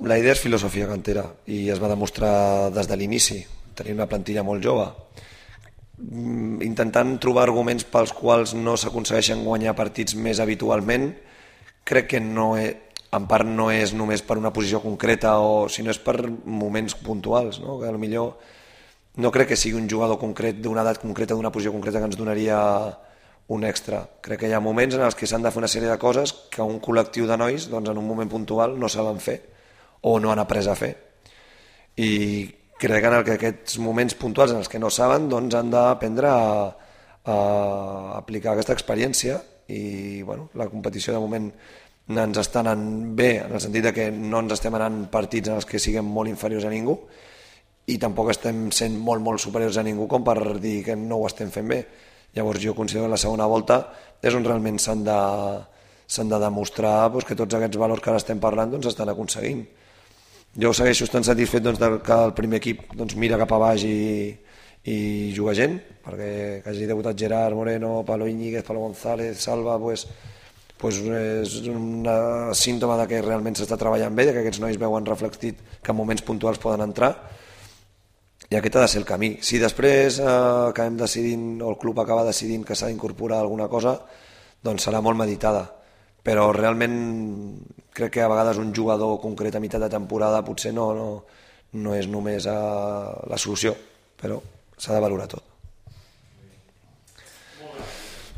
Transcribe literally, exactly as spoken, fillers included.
La idea és filosofia cantera i es va demostrar des de l'inici. Tenim una plantilla molt jove, mm, intentant trobar arguments pels quals no s'aconsegueixen guanyar partits més habitualment. Crec que no és, en part no és només per una posició concreta, o sinó és per moments puntuals, no? Que potser no crec que sigui un jugador concret d'una edat concreta, d'una posició concreta, que ens donaria un extra. Crec que hi ha moments en els que s'han de fer una sèrie de coses que un col·lectiu de nois, doncs, en un moment puntual no saben fer o no han après a fer. I crec que en el que aquests moments puntuals en els que no saben, doncs, han d'aprendre a, a aplicar aquesta experiència. I bueno, la competició de moment ens està anant bé, en el sentit de que no ens estem anant partits en els que siguem molt inferiors a ningú, i tampoc estem sent molt molt superiors a ningú com per dir que no ho estem fent bé. Llavors jo considero que la segona volta és on realment s'han de, s'han de demostrar doncs, que tots aquests valors que ara estem parlant doncs, estan aconseguint. Jo segueixo estant satisfet doncs, que el primer equip doncs, mira cap a baix i, i juga gent, perquè que hagi debutat Gerard Moreno, Pablo Íñiguez, Pablo González, Salva, pues, pues és un símptoma de que realment s'està treballant bé, que aquests nois veuen reflectit que en moments puntuals poden entrar, i aquest ha de ser el camí. Si després eh, acabem decidint, o el club acaba decidint que s'ha d'incorporar alguna cosa, doncs serà molt meditada, però realment crec que a vegades un jugador concret a meitat de temporada potser no, no, no és només eh, la solució, però s'ha de valorar tot.